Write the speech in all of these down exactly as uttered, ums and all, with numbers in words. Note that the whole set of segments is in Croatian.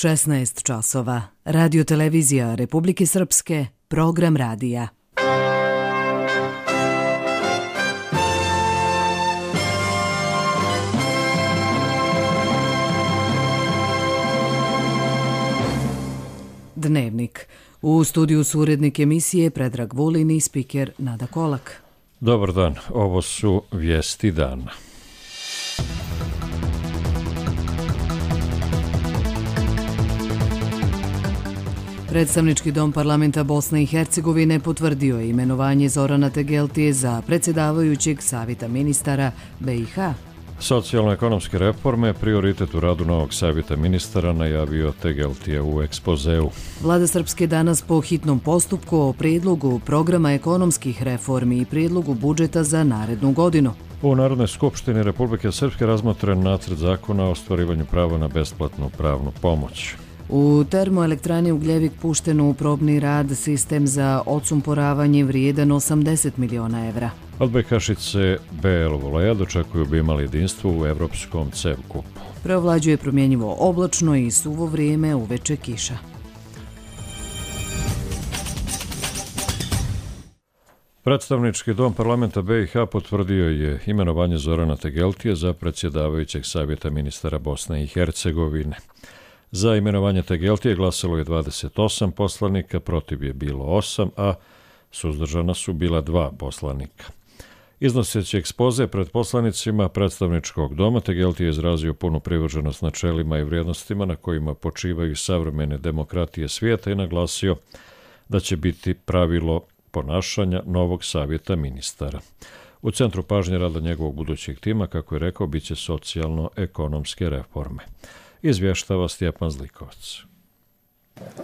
šesnaest časova. Radio televizija Republike Srpske, program radija. Dnevnik. U studiju su urednik emisije Predrag Vulin i spiker Nada Kolak. Dobar dan, ovo su vijesti dana. Predstavnički dom parlamenta Bosne i Hercegovine potvrdio je imenovanje Zorana Tegeltije za predsjedavajućeg savjeta ministara B i H. Socijalno-ekonomske reforme prioritet u radu novog savjeta ministara najavio Tegeltije u ekspozeu. Vlada Srpske danas po hitnom postupku o prijedlogu programa ekonomskih reformi i prijedlogu budžeta za narednu godinu. U Narodnoj skupštini Republike Srpske razmotren nacrt zakona o ostvarivanju prava na besplatnu pravnu pomoć. U termoelektrani Ugljevik pušten u probni rad sistem za odsumporavanje vrijedan osamdeset miliona evra. Odbojkašice B L Voleja dočekuju bi imali jedinstvo u evropskom C E V kupu. Preovlađuje promjenjivo oblačno i suvo vrijeme, uveče kiša. Predstavnički dom parlamenta B i H potvrdio je imenovanje Zorana Tegeltije za predsjedavajućeg savjeta ministara Bosne i Hercegovine. Za imenovanje Tegeltije glasalo je dvadeset osam poslanika, protiv je bilo osam, a suzdržana su bila dva poslanika. Iznoseći ekspoze pred poslanicima predstavničkog doma, Tegeltije je izrazio punu privrženost načelima i vrijednostima na kojima počivaju savremene demokratije svijeta i naglasio da će biti pravilo ponašanja novog savjeta ministara. U centru pažnje rada njegovog budućeg tima, kako je rekao, bit će socijalno-ekonomske reforme. Izvještava Stjepan Zlikovac.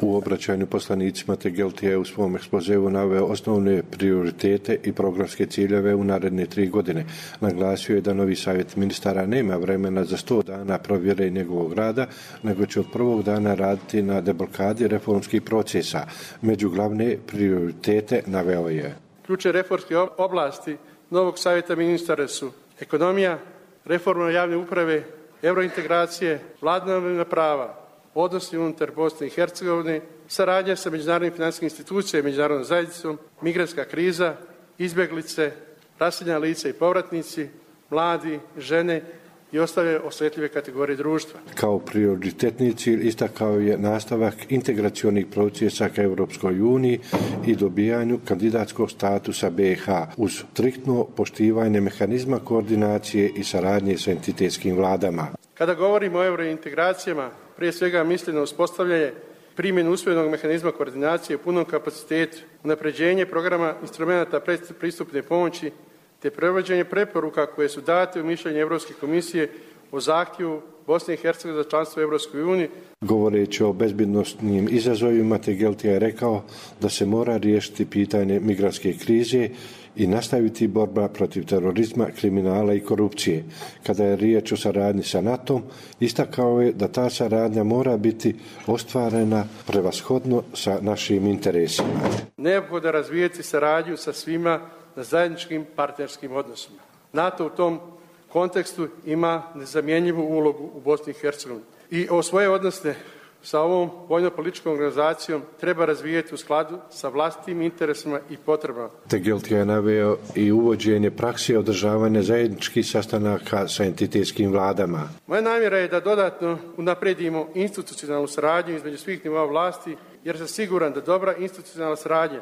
U obraćanju poslanicima Tegeltije je u svom ekspozeu naveo osnovne prioritete i programske ciljeve u naredne tri godine. Naglasio je da novi savjet ministara nema vremena za sto dana provjere njegovog rada, nego će od prvog dana raditi na deblokadi reformskih procesa. Među glavne prioritete naveo je: ključne reformske oblasti novog savjeta ministara su ekonomija, reforma javne uprave, eurointegracije, vladavina prava, odnosi unutar Bosne i Hercegovine, saradnja sa međunarodnim financijskim institucijama i međunarodnom zajednicom, migrantska kriza, izbjeglice, raseljena lica i povratnici, mladi, žene i ostale osjetljive kategorije društva. Kao prioritetni cilj istakao je nastavak integracionih procesa ka Europskoj uniji i dobijanju kandidatskog statusa B i H uz striktno poštivanje mehanizma koordinacije i saradnje sa entitetskim vladama. Kada govorimo o eurointegracijama, prije svega mislim na uspostavljanje primjenu usvojenog mehanizma koordinacije u punom kapacitetu, unapređenje programa instrumenta pristupne pomoći te prevođenje preporuka koje su date u mišljenju Europske komisije o zahtjevu Bosne i Hercegovine za članstvo u Europskoj uniji. Govoreći o bezbednosnim izazovima, Tegeltije je rekao da se mora riješiti pitanje migrantske krize i nastaviti borba protiv terorizma, kriminala i korupcije. Kada je riječ o saradnji sa NATO-om, istakao je da ta saradnja mora biti ostvarena prevashodno sa našim interesima. Neophodno razvijeti saradnju sa svima na zajedničkim partnerskim odnosima. NATO u tom kontekstu ima nezamjenjivu ulogu u Bosni i Hercegovini. I o svoje odnose sa ovom vojno-političkom organizacijom treba razvijeti u skladu sa vlastitim interesima i potrebama. Tegeltije je naveo i uvođenje prakse održavanja zajedničkih sastanaka sa entitetskim vladama. Moja namjera je da dodatno unaprijedimo institucionalnu saradnju između svih nivoa vlasti, jer sam siguran da dobra institucionalna saradnja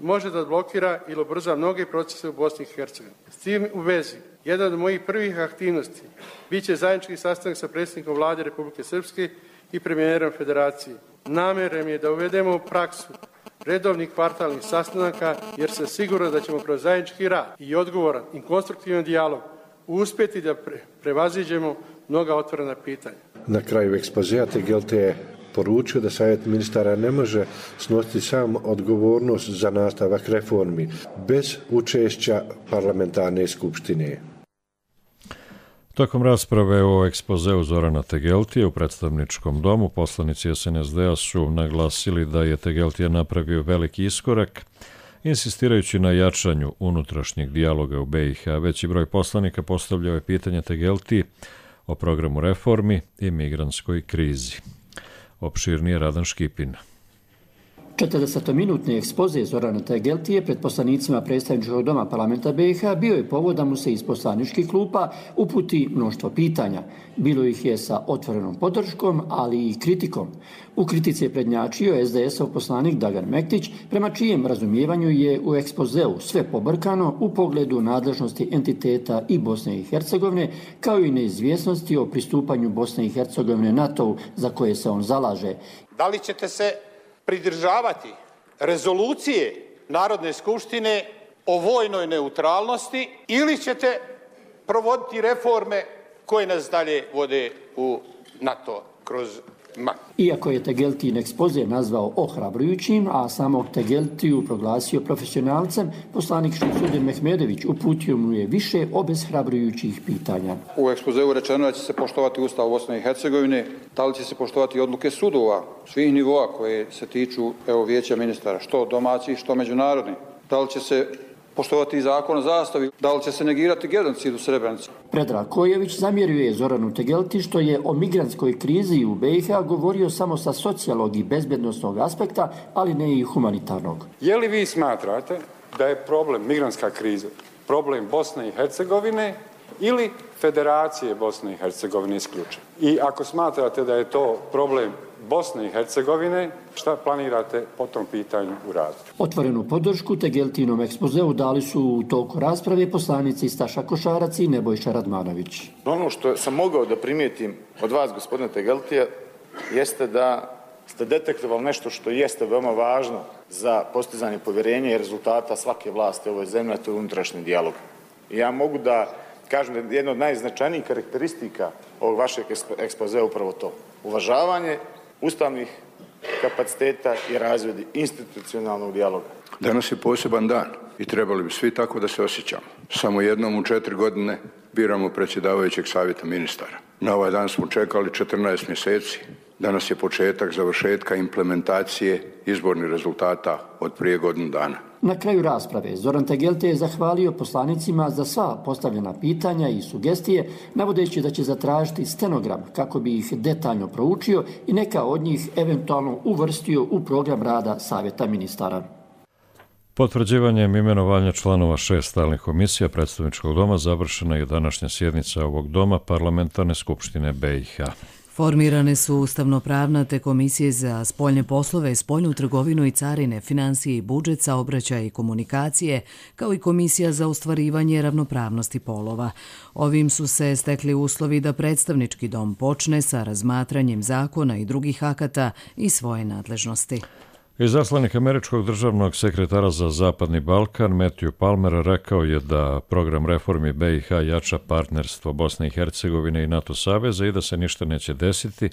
može da blokira ili ubrza mnoge procese u Bosni i Hercegovini. S tim u vezi, jedan od mojih prvih aktivnosti bit će zajednički sastanak sa predsjednikom Vlade Republike Srpske i premijerom Federacije. Namjera mi je da uvedemo praksu redovnih kvartalnih sastanaka, jer sam siguran da ćemo kroz zajednički rad i odgovoran i konstruktivan dijalog uspjeti da pre, prevaziđemo mnoga otvorena pitanja. Na kraju ekspozea Tegeltije je poručio da savjet ministara ne može snositi sam odgovornost za nastavak reformi bez učešća parlamentarne skupštine. Tokom rasprave o ekspozeu Zorana Tegeltije u predstavničkom domu, poslanici S N S D-a su naglasili da je Tegeltije napravio veliki iskorak, insistirajući na jačanju unutrašnjeg dijaloga u B i H. Veći broj poslanika postavljao je pitanje Tegeltiji o programu reformi i migrantskoj krizi. Opširnije Radan Škipin. četrdesetminutni ekspoze Zorana Tegeltije pred poslanicima predstavničkog doma parlamenta B i H bio je povod da mu se iz poslaničkih klupa uputi mnoštvo pitanja. Bilo ih je sa otvorenom podrškom, ali i kritikom. U kritici je prednjačio es de es-ov poslanik Dragan Mektić, prema čijem razumijevanju je u ekspozeu sve pobrkano u pogledu nadležnosti entiteta i Bosne i Hercegovine, kao i neizvjesnosti o pristupanju Bosne i Hercegovine NATO-u za koje se on zalaže. Da li ćete se pridržavati rezolucije Narodne skupštine o vojnoj neutralnosti ili ćete provoditi reforme koje nas dalje vode u NATO kroz M A K? Iako je Tegeltin ekspoze nazvao ohrabrujućim, a samog Tegeltiju proglasio profesionalcem, poslanik Šemsudin Mehmedović uputio mu je više obeshrabrujućih pitanja. U ekspozeu rečeno da će se poštovati Ustav Bosne i Hercegovine, da li će se poštovati odluke sudova svih nivoa koje se tiču evo, vijeća ministara, što domaćih, što međunarodnih, da li će se poštovati zakon o zastavi, da li će se negirati genocid u Srebrenici. Predrag Kojević zamjerio je Zoranu Tegelti što je o migrantskoj krizi u B i H govorio samo sa socijalnog i bezbjednosnog aspekta, ali ne i humanitarnog. Je li vi smatrate da je problem migrantska kriza problem Bosne i Hercegovine ili Federacije Bosne i Hercegovine isključivo? I ako smatrate da je to problem Bosne i Hercegovine, šta planirate po tom pitanju uraditi? Otvorenu podršku Tegeltinom ekspozeu dali su u toku rasprave poslanici Staša Košarac i Nebojša Radmanović. Ono što sam mogao da primijetim od vas, gospodine Tegeltija, jeste da ste detektovali nešto što jeste veoma važno za postizanje povjerenja i rezultata svake vlasti u ovoj zemlji, a to je unutrašnji dijalog. I ja mogu da kažem da je jedna od najznačajnijih karakteristika ovog vašeg ekspozea upravo to. Uvažavanje ustavnih kapaciteta i razvoj institucionalnog dijaloga. Danas je poseban dan i trebali bi svi tako da se osjećamo. Samo jednom u četiri godine biramo predsjedavajućeg savjeta ministara. Na ovaj dan smo čekali četrnaest mjeseci. Danas je početak završetka implementacije izbornih rezultata od prije godinu dana. Na kraju rasprave Zoran Tegelte je zahvalio poslanicima za sva postavljena pitanja i sugestije, navodeći da će zatražiti stenogram kako bi ih detaljno proučio i neka od njih eventualno uvrstio u program rada Savjeta ministara. Potvrđivanjem imenovanja članova šest stalnih komisija predstavničkog doma završena je današnja sjednica ovog doma Parlamentarne skupštine B i H. Formirane su ustavno-pravna te komisije za spoljne poslove, spoljnu trgovinu i carine, finansije i budžet, saobraćaj i komunikacije, kao i komisija za ostvarivanje ravnopravnosti polova. Ovim su se stekli uslovi da predstavnički dom počne sa razmatranjem zakona i drugih akata i svoje nadležnosti. Izaslanik američkog državnog sekretara za Zapadni Balkan Matthew Palmer rekao je da program reformi B i H jača partnerstvo Bosne i Hercegovine i NATO saveza i da se ništa neće desiti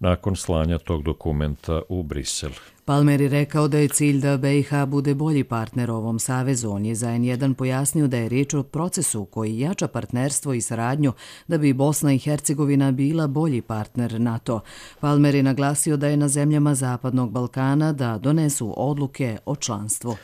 nakon slanja tog dokumenta u Brisel. Palmer je rekao da je cilj da B i H bude bolji partner ovom savezu. On je za en jedan pojasnio da je riječ o procesu koji jača partnerstvo i saradnju da bi Bosna i Hercegovina bila bolji partner NATO. Palmer je naglasio da je na zemljama Zapadnog Balkana da donesu odluke o članstvu.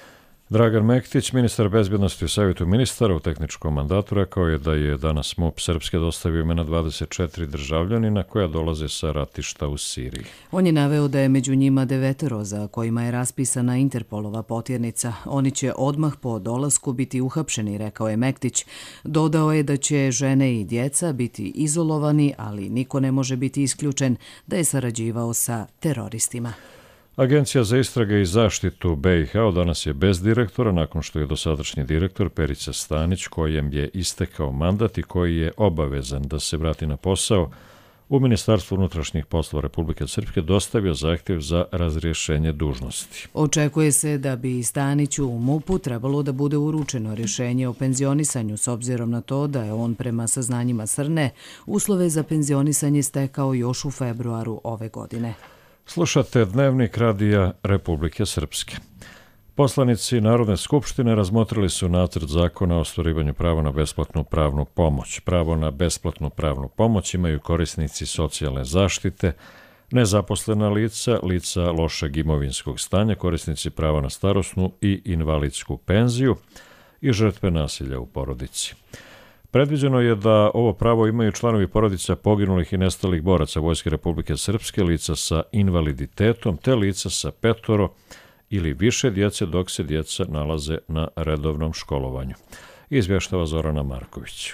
Dragan Mektić, ministar bezbjednosti u Savjetu ministara u tehničkom mandatu, rekao je da je danas M U P Srpske dostavio imena dvadeset četiri državljanina koja dolaze sa ratišta u Siriji. On je naveo da je među njima devetero za kojima je raspisana Interpolova potjernica. Oni će odmah po dolasku biti uhapšeni, rekao je Mektić. Dodao je da će žene i djeca biti izolovani, ali niko ne može biti isključen da je sarađivao sa teroristima. Agencija za istrage i zaštitu B i H danas je bez direktora nakon što je dosadašnji direktor Perica Stanić, kojem je istekao mandat i koji je obavezan da se vrati na posao, u Ministarstvu unutrašnjih poslova Republike Srpske dostavio zahtjev za razrješenje dužnosti. Očekuje se da bi Staniću u M U P-u trebalo da bude uručeno rješenje o penzionisanju s obzirom na to da je on prema saznanjima Srne uslove za penzionisanje stekao još u februaru ove godine. Slušate Dnevnik radija Republike Srpske. Poslanici Narodne skupštine razmotrili su nacrt zakona o ostvarivanju prava na besplatnu pravnu pomoć. Pravo na besplatnu pravnu pomoć imaju korisnici socijalne zaštite, nezaposlena lica, lica lošeg imovinskog stanja, korisnici prava na starosnu i invalidsku penziju i žrtve nasilja u porodici. Predviđeno je da ovo pravo imaju članovi porodica poginulih i nestalih boraca Vojske Republike Srpske, lica sa invaliditetom, te lica sa petoro ili više djece dok se djeca nalaze na redovnom školovanju. Izvještava Zorana Marković.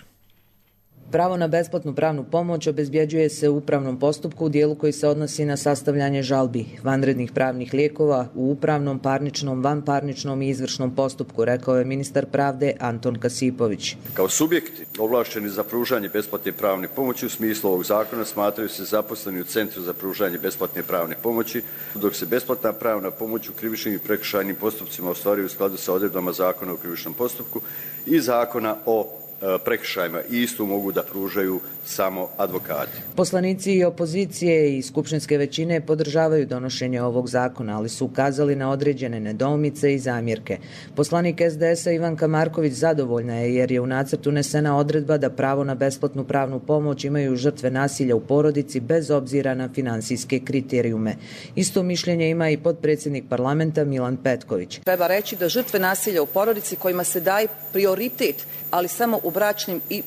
Pravo na besplatnu pravnu pomoć obezbjeđuje se u upravnom postupku u dijelu koji se odnosi na sastavljanje žalbi, vanrednih pravnih lijekova u upravnom, parničnom, vanparničnom i izvršnom postupku, rekao je ministar pravde Anton Kasipović. Kao subjekti ovlašteni za pružanje besplatne pravne pomoći u smislu ovog zakona smatraju se zaposleni u Centru za pružanje besplatne pravne pomoći, dok se besplatna pravna pomoć u krivičnim i prekršajnim postupcima ostvaruje u skladu sa odredbama Zakona o krivičnom postupku i Zakona o prekršajima i istu mogu da pružaju samo advokati. Poslanici i opozicije i skupštinske većine podržavaju donošenje ovog zakona, ali su ukazali na određene nedoumice i zamjerke. Poslanik es de es a Ivanka Marković zadovoljna je jer je u nacrtu unesena odredba da pravo na besplatnu pravnu pomoć imaju žrtve nasilja u porodici bez obzira na finansijske kriterijume. Isto mišljenje ima i potpredsjednik parlamenta Milan Petković. Treba reći da žrtve nasilja u porodici kojima se daje prioritet, ali samo u bračnim i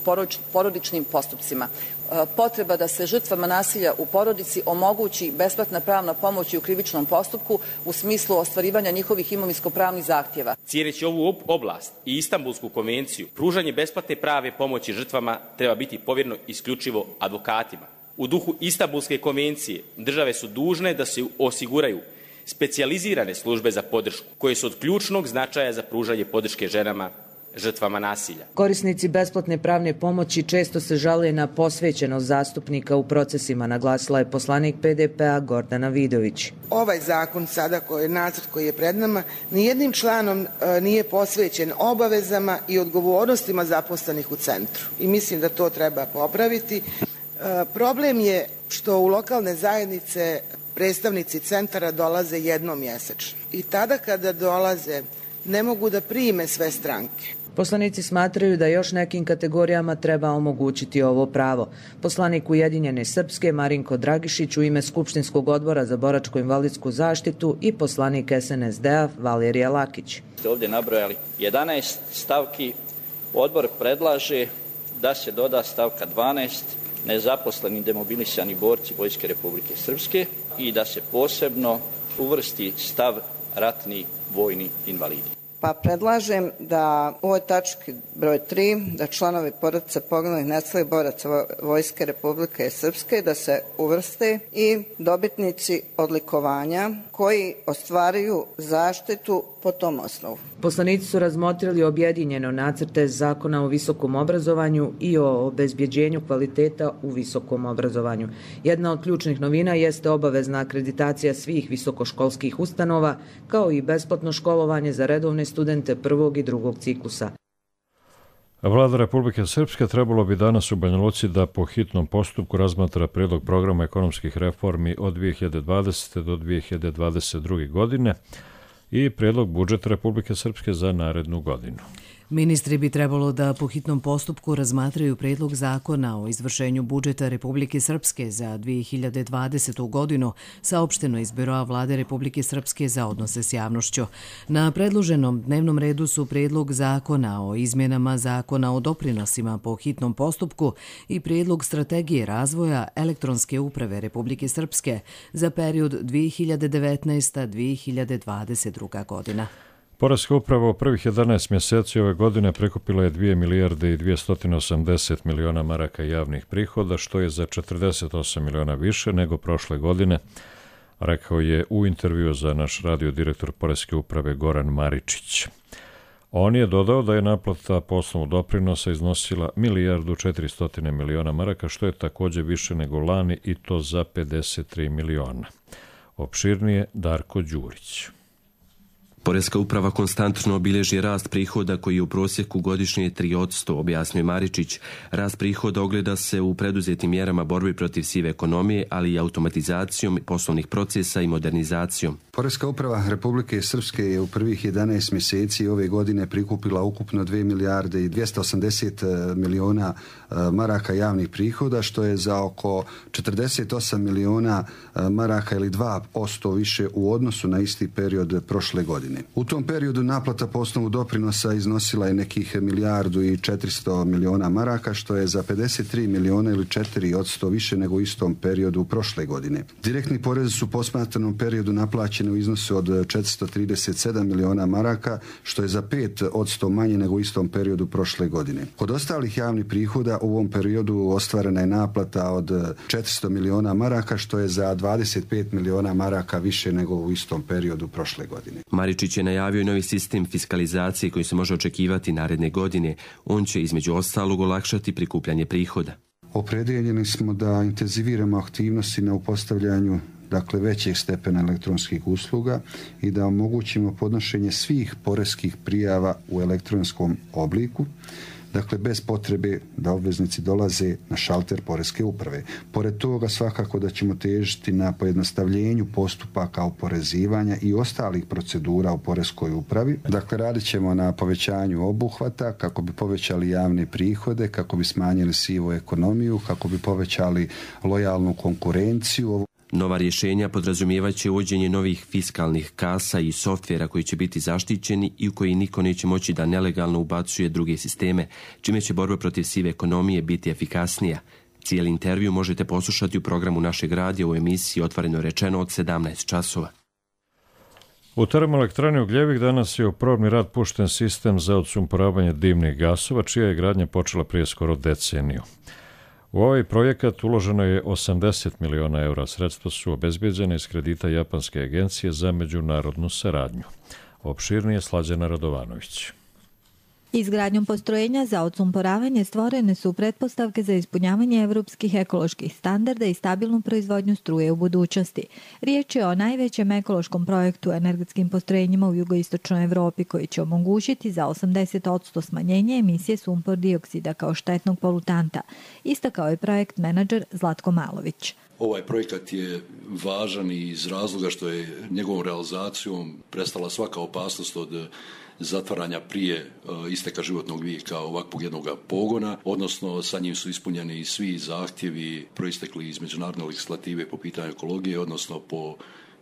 porodičnim postupcima. Potreba da se žrtvama nasilja u porodici omogući besplatna pravna pomoć u krivičnom postupku u smislu ostvarivanja njihovih imovinsko-pravnih zahtjeva. Cijeneći ovu oblast i Istanbulsku konvenciju, pružanje besplatne pravne pomoći žrtvama treba biti povjereno isključivo advokatima. U duhu Istanbulske konvencije države su dužne da se osiguraju specijalizirane službe za podršku koje su od ključnog značaja za pružanje podrške ženama žrtvama nasilja. Korisnici besplatne pravne pomoći često se žale na posvećenost zastupnika u procesima, naglasila je poslanik pe de pe a Gordana Vidović. Ovaj zakon sada koji je nacrt koji je pred nama nijednim članom e, nije posvećen obavezama i odgovornostima zaposlenih u centru. I mislim da to treba popraviti. E, problem je što u lokalne zajednice predstavnici centara dolaze jednom mjesečno. I tada kada dolaze ne mogu da prime sve stranke. Poslanici smatraju da još nekim kategorijama treba omogućiti ovo pravo. Poslanik Ujedinjene Srpske Marinko Dragišić u ime Skupštinskog odbora za boračko-invalidsku zaštitu i poslanik es en es de a Valerija Lakić. Ste ovdje nabrojali jedanaest stavki. Odbor predlaže da se doda stavka dvanaest nezaposleni demobilisani borci Vojske Republike Srpske i da se posebno uvrsti stav ratni vojni invalidi. Pa predlažem da u ovoj tački broj tri da članovi porodice poginulih nestalih boraca Vojske Republike Srpske da se uvrste i dobitnici odlikovanja koji ostvaruju zaštitu po tom osnovu. Poslanici su razmotrili objedinjeno nacrte zakona o visokom obrazovanju i o obezbjeđenju kvaliteta u visokom obrazovanju. Jedna od ključnih novina jeste obavezna akreditacija svih visokoškolskih ustanova, kao i besplatno školovanje za redovne studente prvog i drugog ciklusa. Vlada Republike Srpske trebalo bi danas u Banja Luci da po hitnom postupku razmatra predlog programa ekonomskih reformi od dvije hiljade dvadesete. do dvije hiljade dvadeset druge. godine i predlog budžeta Republike Srpske za narednu godinu. Ministri bi trebalo da po hitnom postupku razmatraju predlog zakona o izvršenju budžeta Republike Srpske za dvije hiljade dvadesetu. godinu, saopšteno iz Biroa Vlade Republike Srpske za odnose s javnošću. Na predloženom dnevnom redu su predlog zakona o izmjenama zakona o doprinosima po hitnom postupku i predlog strategije razvoja elektronske uprave Republike Srpske za period dvije hiljade devetnaesta do dvije hiljade dvadeset druga. godina. Poreska uprava u prvih jedanaest mjeseci ove godine prikupila je dvije milijarde i dvjesto osamdeset miliona maraka javnih prihoda, što je za četrdeset osam miliona više nego prošle godine, rekao je u intervju za naš radio direktor Poreske uprave Goran Maričić. On je dodao da je naplata po osnovu doprinosa iznosila milijardu četiristo miliona maraka, što je također više nego lani i to za pedeset tri miliona. Opširnije Darko Đurić. Poreska uprava konstantno obilježi rast prihoda koji je u prosjeku godišnje tri posto, objasnio Maričić. Rast prihoda ogleda se u preduzetim mjerama borbe protiv sive ekonomije, ali i automatizacijom poslovnih procesa i modernizacijom. Poreska uprava Republike Srpske je u prvih jedanaest mjeseci ove godine prikupila ukupno dvije milijarde i dvjesto osamdeset miliona maraka javnih prihoda, što je za oko četrdeset osam miliona maraka ili dva posto više u odnosu na isti period prošle godine. U tom periodu naplata po osnovu doprinosa iznosila je nekih milijardu i četiristo miliona maraka, što je za pedeset tri miliona ili četiri posto više nego u istom periodu prošle godine. Direktni porezi su u posmatranom periodu naplaćeni u iznosu od četiristo trideset sedam miliona maraka, što je za pet posto manje nego u istom periodu prošle godine. Kod ostalih javnih prihoda u ovom periodu ostvarena je naplata od četiristo miliona maraka, što je za dvadeset pet miliona maraka više nego u istom periodu prošle godine. Maričić je najavio novi sistem fiskalizacije koji se može očekivati naredne godine. On će između ostalog olakšati prikupljanje prihoda. Opredijeljeni smo da intenziviramo aktivnosti na upostavljanju dakle većeg stepena elektronskih usluga i da omogućimo podnošenje svih poreskih prijava u elektronskom obliku, dakle bez potrebe da obveznici dolaze na šalter poreske uprave. Pored toga svakako da ćemo težiti na pojednostavljenju postupaka oporezivanja i ostalih procedura u poreskoj upravi. Dakle, radit ćemo na povećanju obuhvata kako bi povećali javne prihode, kako bi smanjili sivu ekonomiju, kako bi povećali lojalnu konkurenciju. Nova rješenja podrazumijevaće uvođenje novih fiskalnih kasa i softvera koji će biti zaštićeni i u koji niko neće moći da nelegalno ubacuje druge sisteme, čime će borba protiv sive ekonomije biti efikasnija. Cijeli intervju možete poslušati u programu našeg radija u emisiji Otvoreno rečeno od sedamnaest časova. U termoelektrani Ugljevik danas je u probni rad pušten sistem za odsumporavanje dimnih gasova, čija je gradnja počela prije skoro deceniju. U ovaj projekat uloženo je osamdeset miliona eura. Sredstva su obezbeđene iz kredita Japanske agencije za međunarodnu saradnju. Opširnije Slađana Radovanović. Izgradnjom postrojenja za odsumporavanje stvorene su pretpostavke za ispunjavanje evropskih ekoloških standarda i stabilnu proizvodnju struje u budućnosti. Riječ je o najvećem ekološkom projektu energetskim postrojenjima u jugoistočnoj Evropi koji će omogućiti za osamdeset posto smanjenje emisije sumpor dioksida kao štetnog polutanta, istakao je projekt menadžer Zlatko Malović. Ovaj projekat je važan iz razloga što je njegovom realizacijom prestala svaka opasnost od zatvaranja prije isteka životnog vijeka ovakvog jednog pogona, odnosno sa njim su ispunjeni svi zahtjevi proistekli iz međunarodne legislative po pitanju ekologije, odnosno po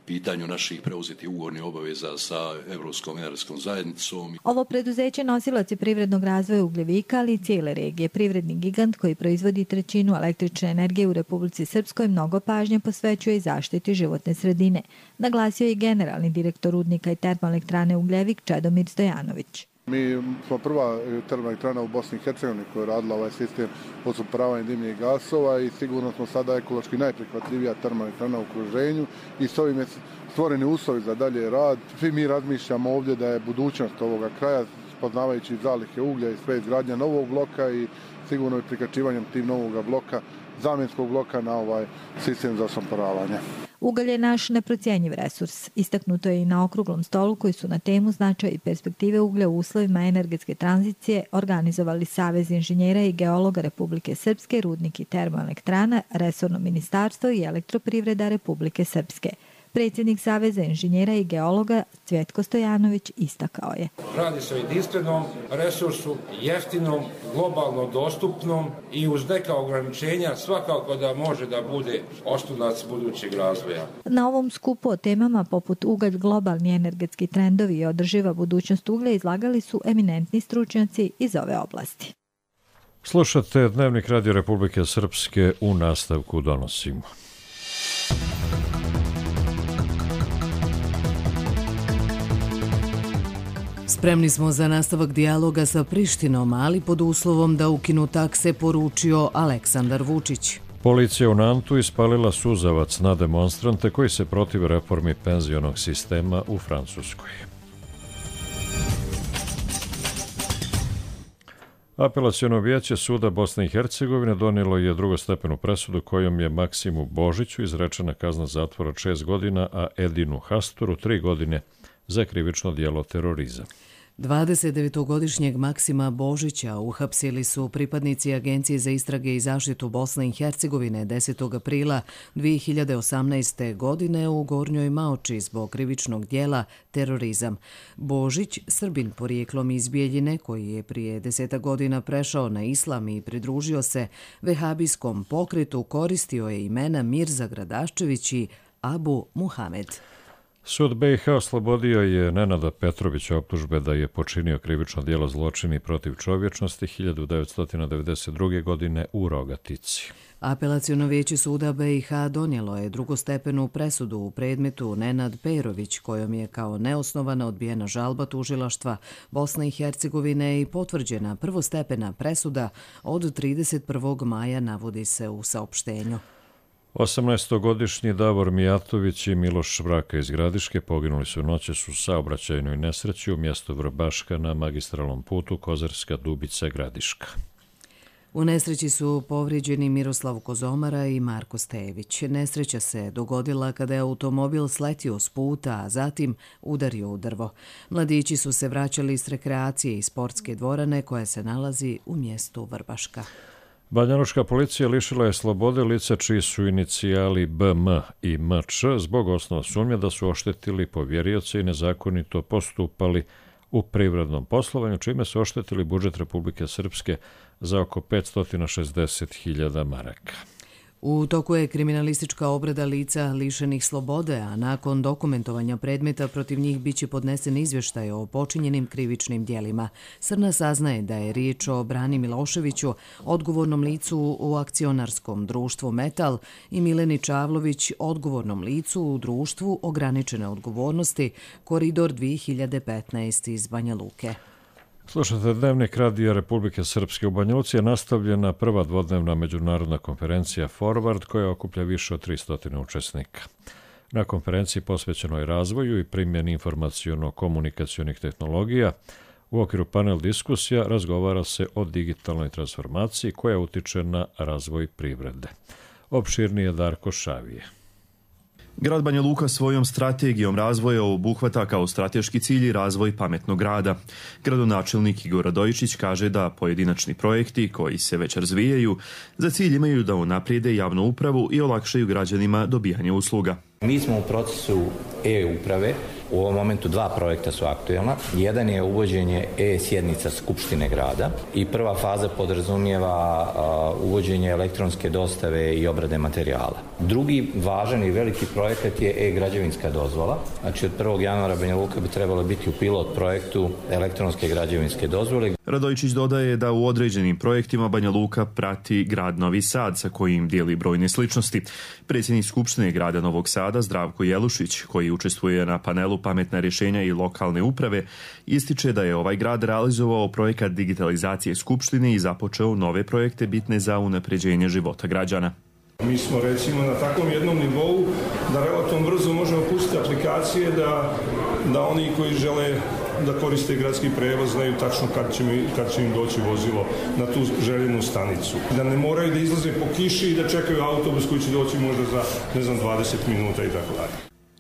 pitanju naših preuzetih ugovornih obaveza sa Evropskom energetskom zajednicom. Ovo preduzeće nosilac je privrednog razvoja Ugljevika, ali i cijele regije. Privredni gigant koji proizvodi trećinu električne energije u Republici Srpskoj mnogo pažnje posvećuje i zaštiti životne sredine, naglasio je generalni direktor rudnika i termoelektrane Ugljevik Čedomir Stojanović. Mi smo prva termoelektrana u Bosni i Hercegovini koja je radila ovaj sistem odsumporavanja dimnih gasova i sigurno smo sada ekološki najprihvatljivija termoelektrana u okruženju i s ovim je stvoreni uslovi za dalje rad. Svi mi razmišljamo ovdje da je budućnost ovoga kraja, spoznavajući zalihe uglja i sve izgradnja novog bloka i sigurno i prikačivanjem tim novog bloka, zamjenskog bloka na ovaj sistem za odsumporavanje. Ugalj je naš neprocjenjiv resurs. Istaknuto je i na okruglom stolu koji su na temu značaj i perspektive uglja u uslovima energetske tranzicije organizovali Savez inženjera i geologa Republike Srpske, rudnik i termoelektrana, resorno ministarstvo i elektroprivreda Republike Srpske. Predsjednik Saveza inženjera i geologa Cvjetko Stojanović istakao je. Radi se o jedinstvenom resursu, jeftinom, globalno dostupnom i uz neka ograničenja svakako da može da bude oslonac budućeg razvoja. Na ovom skupu o temama poput ugalj, globalni energetski trendovi i održiva budućnost uglja izlagali su eminentni stručnjaci iz ove oblasti. Slušate Dnevnik Radio Republike Srpske, u nastavku donosimo. Spremni smo za nastavak dijaloga sa Prištinom, ali pod uslovom da ukinu takse, poručio Aleksandar Vučić. Policija u Nantu ispalila suzavac na demonstrante koji se protive reformi penzionog sistema u Francuskoj. Apelaciono vijeće suda Bosne i Hercegovine donijelo je drugostepenu presudu kojom je Maksimu Božiću izrečena kazna zatvora od šest godina, a Edinu Hasturu tri godine za krivično djelo terorizam. dvadesetdevetogodišnjeg Maksima Božića uhapsili su pripadnici Agencije za istrage i zaštitu Bosne i Hercegovine desetog aprila dvije hiljade osamnaeste. godine u Gornjoj Maoči zbog krivičnog dijela terorizam. Božić, Srbin porijeklom iz Bijeljine, koji je prije deseta godina prešao na islam i pridružio se vehabijskom pokretu, koristio je imena Mirza Gradaščević i Abu Muhamed. Sud B i H oslobodio je Nenada Petrovića optužbe da je počinio krivično djelo zločini protiv čovječnosti hiljadu devetsto devedeset druge. godine u Rogatici. Apelaciono vijeće suda B i H donijelo je drugostepenu presudu u predmetu Nenad Perović, kojom je kao neosnovana odbijena žalba tužilaštva Bosne i Hercegovine i potvrđena prvostepena presuda od trideset prvog maja, navodi se u saopštenju. osamnaestogodišnji Davor Mijatović i Miloš Vraka iz Gradiške poginuli su noćas u saobraćajnoj nesreći u mjestu Vrbaška na magistralnom putu Kozarska Dubica-Gradiška. U nesreći su povrijeđeni Miroslav Kozomara i Marko Stević. Nesreća se dogodila kada je automobil sletio s puta, a zatim udario u drvo. Mladići su se vraćali s rekreacije i sportske dvorane koja se nalazi u mjestu Vrbaška. Banjalučka policija lišila je slobode lica čiji su inicijali B M i M Č zbog osnova sumnje da su oštetili povjerioce i nezakonito postupali u privrednom poslovanju, čime su oštetili budžet Republike Srpske za oko petsto šezdeset hiljada maraka. U toku je kriminalistička obrada lica lišenih slobode, a nakon dokumentovanja predmeta protiv njih biće podnesen izvještaj o počinjenim krivičnim djelima. Srna saznaje da je riječ o Brani Miloševiću, odgovornom licu u akcionarskom društvu Metal, i Mileni Čavlović, odgovornom licu u društvu ograničene odgovornosti Koridor dvije hiljade petnaest iz Banja Luke. Slušate Dnevnik Radija Republike Srpske. U Banja Luci je nastavljena prva dvodnevna međunarodna konferencija Forward koja okuplja više od tristo učesnika. Na konferenciji posvećenoj razvoju i primjeni informaciono-komunikacionih tehnologija u okviru panel diskusija razgovara se o digitalnoj transformaciji koja utiče na razvoj privrede. Opširnije Darko Šavije. Grad Banja Luka svojom strategijom razvoja obuhvata kao strateški cilj i razvoj pametnog grada. Gradonačelnik Igor Radojičić kaže da pojedinačni projekti koji se već razvijaju za cilj imaju da unaprijede javnu upravu i olakšaju građanima dobijanje usluga. Mi smo u procesu e-uprave. U ovom momentu dva projekta su aktuelna. Jedan je uvođenje e-sjednica Skupštine grada i prva faza podrazumijeva uh, uvođenje elektronske dostave i obrade materijala. Drugi važan i veliki projekat je e-građevinska dozvola. Znači od prvog januara Banja Luka bi trebalo biti u pilot projektu elektronske građevinske dozvole. Radojičić dodaje da u određenim projektima Banja Luka prati grad Novi Sad sa kojim dijeli brojne sličnosti. Predsjednik Skupštine grada Novog Sada Zdravko Jelušić, koji učestvuje na panelu pametna rješenja i lokalne uprave, ističe da je ovaj grad realizovao projekat digitalizacije Skupštine i započeo nove projekte bitne za unapređenje života građana. Mi smo recimo na takvom jednom nivou da relativno brzo možemo pustiti aplikacije da, da oni koji žele da koriste gradski prevoz znaju tačno kad će, mi, kad će im doći vozilo na tu željenu stanicu. Da ne moraju da izlaze po kiši i da čekaju autobus koji će doći možda za ne znam, dvadeset minuta i tako dalje.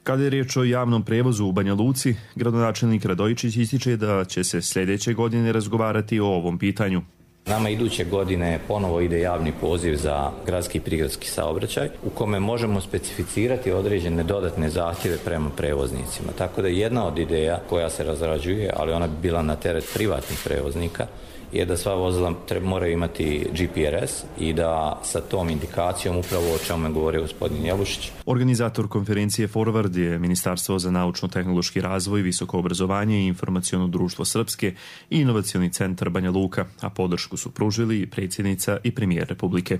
Kada je riječ o javnom prevozu u Banja Luci, gradonačelnik Radojičić ističe da će se sljedeće godine razgovarati o ovom pitanju. Nama iduće godine ponovo ide javni poziv za gradski i prigradski saobraćaj u kome možemo specificirati određene dodatne zahtjeve prema prevoznicima. Tako da jedna od ideja koja se razrađuje, ali ona bi bila na teret privatnih prevoznika, je da sva vozila moraju imati G P R S i da sa tom indikacijom, upravo o čemu je govorio gospodin Jelušić. Organizator konferencije Forward je Ministarstvo za naučno-tehnološki razvoj, visoko obrazovanje i informaciono društvo Srpske i inovacioni centar Banja Luka, a podršku su pružili i predsjednica i premijer Republike.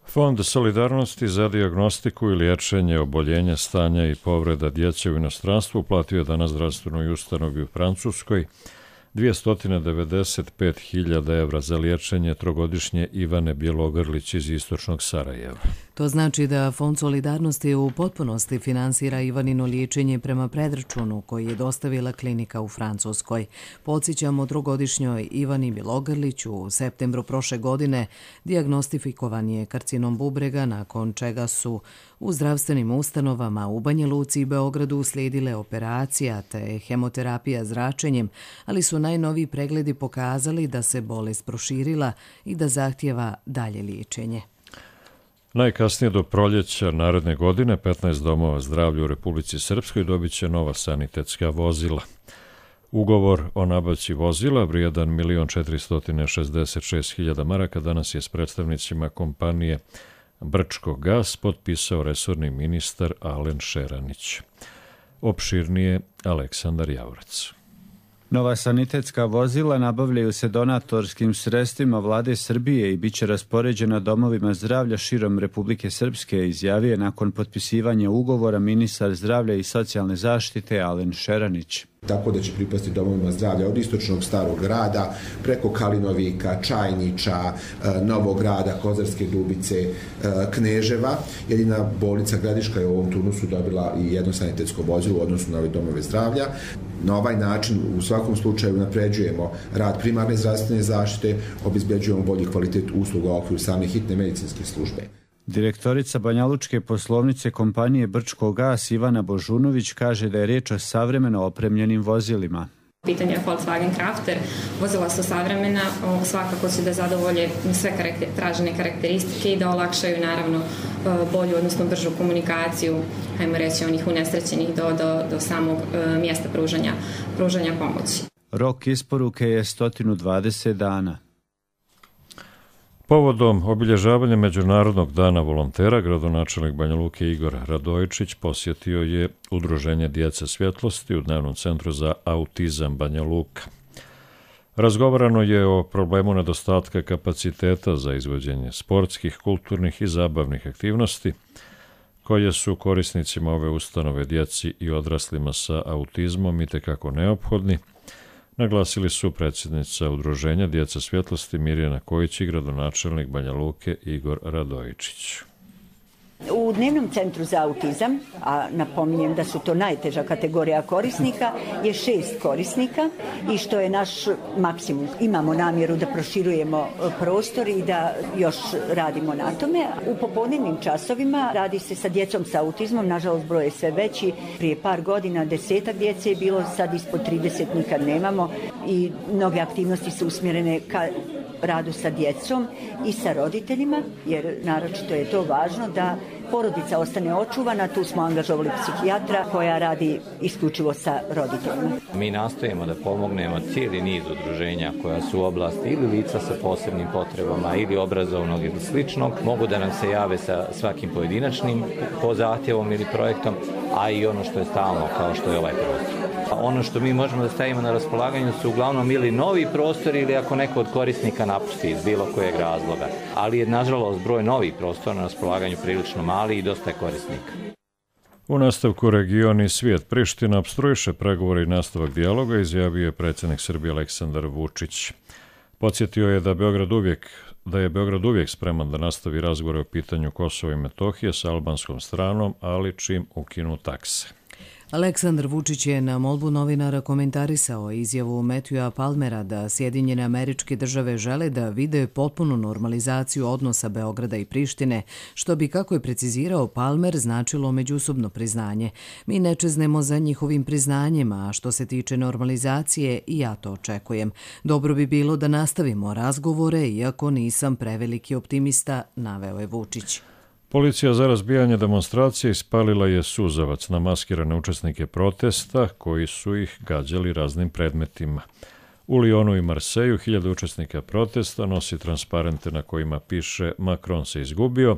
Fond solidarnosti za dijagnostiku i liječenje oboljenja, stanja i povreda djece u inostranstvu uplatio je danas zdravstvenoj ustanovi u Francuskoj dvjesto devedeset pet hiljada evra za liječenje trogodišnje Ivane Bjelogrlić iz istočnog Sarajeva. To znači da Fond solidarnosti u potpunosti finansira Ivanino liječenje prema predračunu koji je dostavila klinika u Francuskoj. Podsjećamo, trogodišnjoj Ivani Bjelogrlić u septembru prošle godine dijagnostifikovan je karcinom bubrega, nakon čega su U zdravstvenim ustanovama u Banja Luci i Beogradu uslijedile operacija te hemoterapija zračenjem, ali su najnoviji pregledi pokazali da se bolest proširila i da zahtijeva dalje liječenje. Najkasnije do proljeća naredne godine petnaest domova zdravlja u Republici Srpskoj dobit će nova sanitetska vozila. Ugovor o nabavci vozila vrijedan milion četiristo šezdeset šest hiljada maraka danas je s predstavnicima kompanije Brčko gas potpisao resorni ministar Alen Šeranić. Opširnije Aleksandar Javorac. Nova sanitetska vozila nabavljaju se donatorskim sredstvima Vlade Srbije i bit će raspoređena domovima zdravlja širom Republike Srpske, izjavio je nakon potpisivanja ugovora ministar zdravlja i socijalne zaštite Alen Šeranić. Tako da će pripasti domovima zdravlja od istočnog Starog grada, preko Kalinovika, Čajniča, Novog grada, Kozarske Dubice, Kneževa. Jedina bolnica Gradiška je u ovom turnusu dobila i jedno sanitetsko vozilo u odnosu na ove domove zdravlja. Na ovaj način u svakom slučaju napređujemo rad primarne zdravstvene zaštite, obezbeđujemo bolji kvalitet usluga u okviru same hitne medicinske službe. Direktorica banjalučke poslovnice kompanije Brčko gas Ivana Božunović kaže da je riječ o savremeno opremljenim vozilima. Pitanje je Volkswagen Crafter, vozila su savremena, svakako su da zadovolje sve karakter, tražene karakteristike i da olakšaju naravno bolju, odnosno bržu komunikaciju, hajmo reći, onih unesrećenih do, do, do samog mjesta pružanja, pružanja pomoći. Rok isporuke je sto dvadeset dana. Povodom obilježavanja Međunarodnog dana volontera, gradonačelnik Banja Luke Igor Radojičić posjetio je Udruženje Djece svjetlosti u Dnevnom centru za autizam Banja Luka. Razgovarano je o problemu nedostatka kapaciteta za izvođenje sportskih, kulturnih i zabavnih aktivnosti, koje su korisnicima ove ustanove djeci i odraslima sa autizmom itekako neophodni, naglasili su predsjednica Udruženja Djeca svjetlosti Mirjana Kojić i gradonačelnik Banja Luke Igor Radojičić. U Dnevnom centru za autizam, a napominjem da su to najteža kategorija korisnika, je šest korisnika i što je naš maksimum. Imamo namjeru da proširujemo prostor i da još radimo na tome. U popodnevnim časovima radi se sa djecom sa autizmom, nažalost broj je sve veći. Prije par godina desetak djece je bilo, sad ispod trideset nikad nemamo i mnoge aktivnosti su usmjerene ka radu sa djecom i sa roditeljima, jer naročito je to važno da porodica ostane očuvana. Tu smo angažovali psihijatra koja radi isključivo sa roditeljima. Mi nastojimo da pomognemo cijeli niz udruženja koja su u oblasti ili lica sa posebnim potrebama ili obrazovnog ili sličnog. Mogu da nam se jave sa svakim pojedinačnim po zahtjevom ili projektom, a i ono što je stalno kao što je ovaj prostor. Ono što mi možemo da stavimo na raspolaganju su uglavnom ili novi prostori ili ako neko od korisnika napusti iz bilo kojeg razloga. Ali je nažalost broj novih prostora na raspolaganju prilično mali i dosta je korisnika. U nastavku region i svijet Priština opstruiše pregovore i nastavak dijaloga, izjavio je predsjednik Srbije Aleksandar Vučić. Podsjetio je da Beograd uvijek da je Beograd uvijek spreman da nastavi razgovore o pitanju Kosova i Metohije sa albanskom stranom, ali čim ukinu takse. Aleksandar Vučić je na molbu novinara komentarisao izjavu Matthewa Palmera da Sjedinjene Američke Države žele da vide potpunu normalizaciju odnosa Beograda i Prištine, što bi, kako je precizirao Palmer, značilo međusobno priznanje. Mi ne čeznemo za njihovim priznanjima, a što se tiče normalizacije, i ja to očekujem. Dobro bi bilo da nastavimo razgovore, iako nisam preveliki optimista, naveo je Vučić. Policija za razbijanje demonstracije ispalila je suzavac na maskirane učesnike protesta koji su ih gađali raznim predmetima. U Lyonu i Marseju hiljade učesnika protesta nosi transparente na kojima piše Macron se izgubio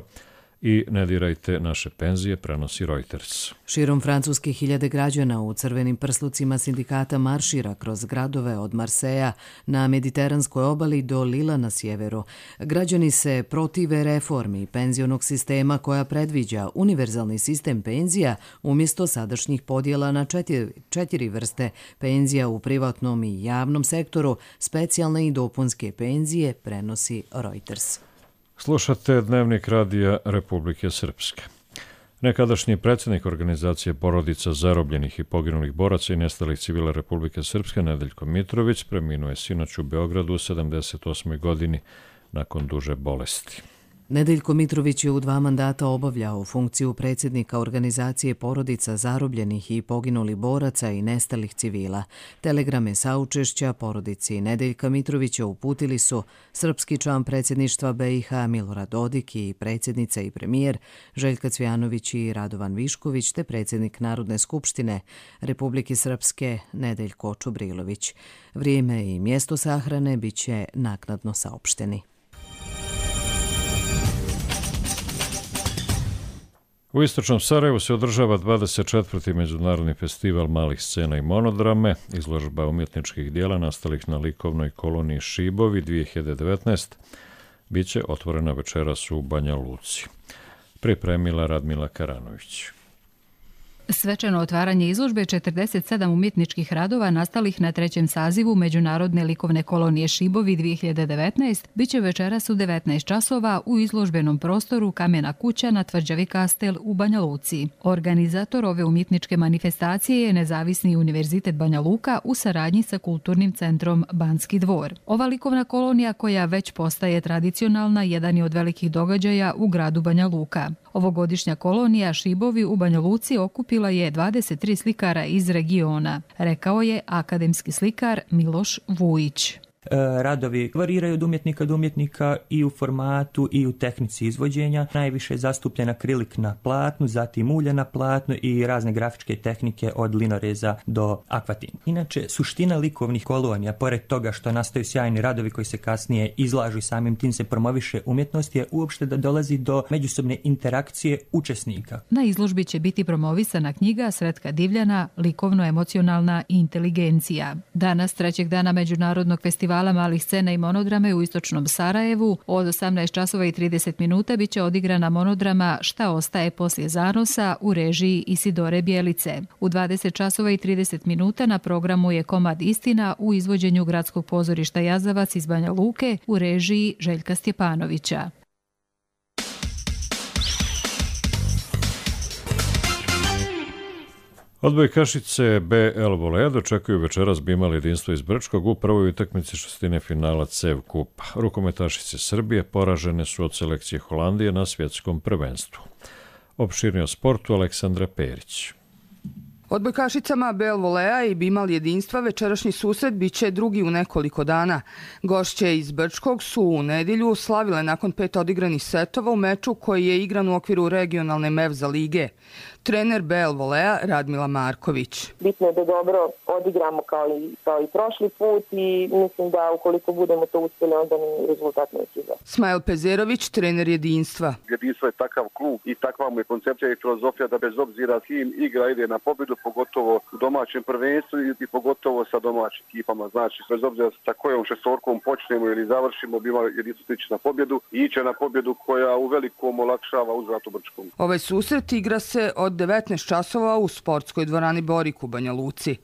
i ne dirajte naše penzije, prenosi Reuters. Širom Francuske hiljade građana u crvenim prslucima sindikata maršira kroz gradove od Marseja na mediteranskoj obali do Lila na sjeveru. Građani se protive reformi penzionog sistema koja predviđa univerzalni sistem penzija umjesto sadašnjih podjela na četiri, četiri vrste penzija u privatnom i javnom sektoru, specijalne i dopunske penzije, prenosi Reuters. Slušate Dnevnik radija Republike Srpske. Nekadašnji predsjednik organizacije porodica zarobljenih i poginulih boraca i nestalih civila Republike Srpske Nedeljko Mitrović preminuo je sinoć u Beogradu u sedamdeset osmoj godini nakon duže bolesti. Nedeljko Mitrović je u dva mandata obavljao funkciju predsjednika organizacije porodica zarobljenih i poginulih boraca i nestalih civila. Telegrame saučešća porodici Nedeljka Mitrovića uputili su srpski član predsjedništva B i H Milorad Dodik i predsjednica i premijer Željka Cvijanović i Radovan Višković te predsjednik Narodne skupštine Republike Srpske Nedeljko Čubrilović. Vrijeme i mjesto sahrane bit će naknadno saopšteni. U istočnom Sarajevu se održava dvadeset četvrti Međunarodni festival malih scena i monodrame, izložba umjetničkih dijela nastalih na likovnoj koloniji Šibovi dvije hiljade devetnaeste. Biće otvorena večeras u Banja Luci. Pripremila Radmila Karanović. Svečano otvaranje izložbe četrdeset sedam umjetničkih radova nastalih na trećem sazivu Međunarodne likovne kolonije Šibovi dvije hiljade devetnaeste biće večeras u devetnaest časova u izložbenom prostoru Kamena kuća na Tvrđavi Kastel u Banja Luci. Organizator ove umjetničke manifestacije je Nezavisni univerzitet Banja Luka u saradnji sa Kulturnim centrom Banski dvor. Ova likovna kolonija, koja već postaje tradicionalna, jedan je od velikih događaja u gradu Banja Luka. Ovogodišnja kolonija Šibovi u Banja Luci okupila je dvadeset tri slikara iz regiona, rekao je akademski slikar Miloš Vujić. Radovi variraju od umjetnika do umjetnika i u formatu i u tehnici izvođenja. Najviše je zastupljen akrilik na platnu, zatim ulje na platnu i razne grafičke tehnike od linoreza do akvatin. Inače, suština likovnih kolonija, pored toga što nastaju sjajni radovi koji se kasnije izlažu i samim tim se promoviše umjetnost, je uopšte da dolazi do međusobne interakcije učesnika. Na izložbi će biti promovisana knjiga Sretka Divljana Likovno-emocionalna inteligencija. Danas, trećeg dana Međunarodnog festivala malih scena i monodrame u istočnom Sarajevu, od osamnaest časova i trideset minuta biće odigrana monodrama Šta ostaje poslije zanosa u režiji Isidore Bjelice. U dvadeset časova i trideset minuta na programu je komad Istina u izvođenju Gradskog pozorišta Jazavac iz Banja Luke u režiji Željka Stjepanovića. Odbojkašice B L Volea dočekuju večeras Bimal jedinstvo iz Brčkog u prvoj utakmici šestine finala C E V Kupa. Rukometašice Srbije poražene su od selekcije Holandije na svjetskom prvenstvu. Opširnije o sportu Aleksandra Perić. Odbojkašicama B L Volea i Bimal jedinstva večerašnji susret biće drugi u nekoliko dana. Gošće iz Brčkog su u nedjelju slavile nakon pet odigranih setova u meču koji je igran u okviru regionalne Mevza lige. Trener B L Volea Radmila Marković. Bitno je da dobro odigramo kao i, kao i prošli put i mislim da ukoliko budemo to uspjeli, onda ni rezultat neće za. Smajl Pezerović, trener jedinstva. Jedinstvo je takav klub i takva mu je koncepcija i filozofija da bez obzira kim igra ide na pobjedu, pogotovo u domaćem prvenstvu i pogotovo sa domaćim ekipama. Znači, bez obzira sa kojom šestorkom počnemo ili završimo, biva jedinstvo stići na pobjedu i iće na pobjedu koja u velikom olakšava uzvrat u Brčkom. Ovaj susret igra se od devetnaest časova u sportskoj dvorani Borik u Banja Luci.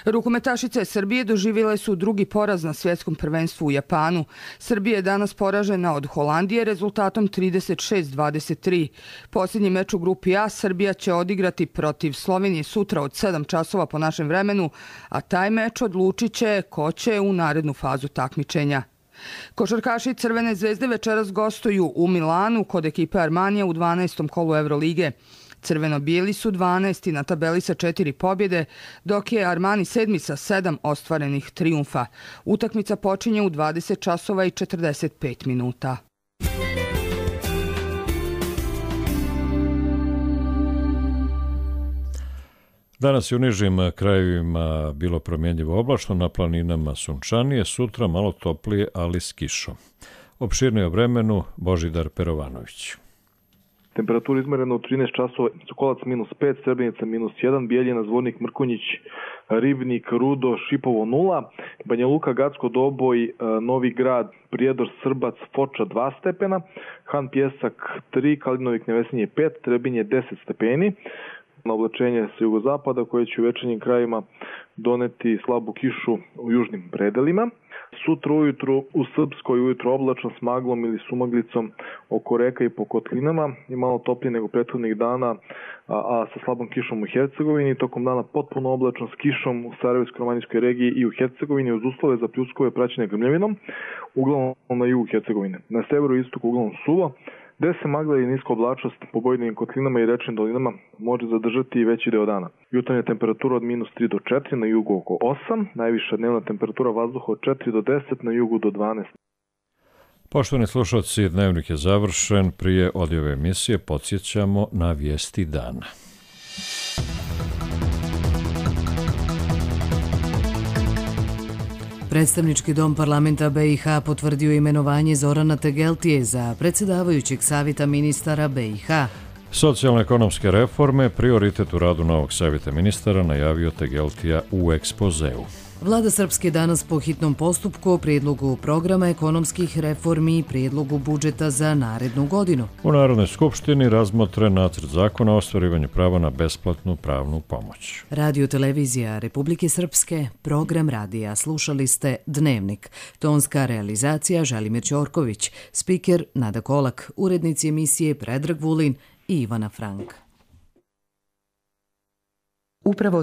Rukometašice Srbije doživjele su drugi poraz na svjetskom prvenstvu u Japanu. Srbija je danas poražena od Holandije rezultatom trideset šest dvadeset tri. Posljednji meč u grupi A Srbija će odigrati protiv Slovenije sutra od sedam časova po našem vremenu, a taj meč odlučit će ko će u narednu fazu takmičenja. Košarkaši Crvene zvezde večeras gostuju u Milanu kod ekipe Armanija u dvanaestom kolu Evrolige. Crveno-bijeli su dvanaesti na tabeli sa četiri pobjede, dok je Armani sedmi sa sedam ostvarenih trijumfa. Utakmica počinje u dvadeset časova i četrdeset pet minuta. Danas je u nižim krajevima bilo promjenjivo oblačno, na planinama sunčanije, sutra malo toplije, ali s kišom. Opširnije o vremenu Božidar Perovanović. Temperatura izmerena u trinaest časova, Sokolac minus pet, Srebrenica minus jedan, Bijeljina, Zvornik, Mrkonjić, Ribnik, Rudo, Šipovo nula, Banja Luka, Gacko, Doboj, Novi Grad, Prijedor, Srbac, Foča dva stepena, Han Pjesak tri, Kalinovik, Nevesinje pet, Trebinje deset stepeni. Na oblačenje sa jugozapada koje će u večernjim krajima doneti slabu kišu u južnim predelima. Sutra ujutru u Srpskoj ujutro oblačno s maglom ili sumaglicom oko reka i po kotlinama i malo toplije nego prethodnih dana, a, a sa slabom kišom u Hercegovini. Tokom dana potpuno oblačno s kišom u Sarajevsko-romanijskoj regiji i u Hercegovini uz uslove za pljuskove praćene grmljavinom, uglavnom na jugu Hercegovine. Na severu i istoku uglavnom suvo, gde se magla i niska oblačnost po pojedinim kotlinama i rečnim dolinama može zadržati i veći deo dana. Jutarnja temperatura od minus tri do četiri, na jugu oko osam, najviša dnevna temperatura vazduha od četiri do deset, na jugu do dvanaest. Poštovani slušalci, dnevnik je završen. Prije odjave emisije podsjećamo na vijesti dana. Predstavnički dom parlamenta be i ha potvrdio imenovanje Zorana Tegeltije za predsjedavajućeg savjeta ministara be i ha. Socijalno-ekonomske reforme, prioritet u radu novog savjeta ministara, najavio Tegeltija u ekspozeu. Vlada Srpske danas po hitnom postupku o prijedlogu programa ekonomskih reformi i prijedlogu budžeta za narednu godinu. U Narodnoj skupštini razmotre nacrt zakona o ostvarivanju prava na besplatnu pravnu pomoć. Radio televizija Republike Srpske, program radija. Slušali ste Dnevnik. Tonska realizacija Želimir Ćorković, spiker Nada Kolak, urednici emisije Predrag Vulin i Ivana Frank. Upravo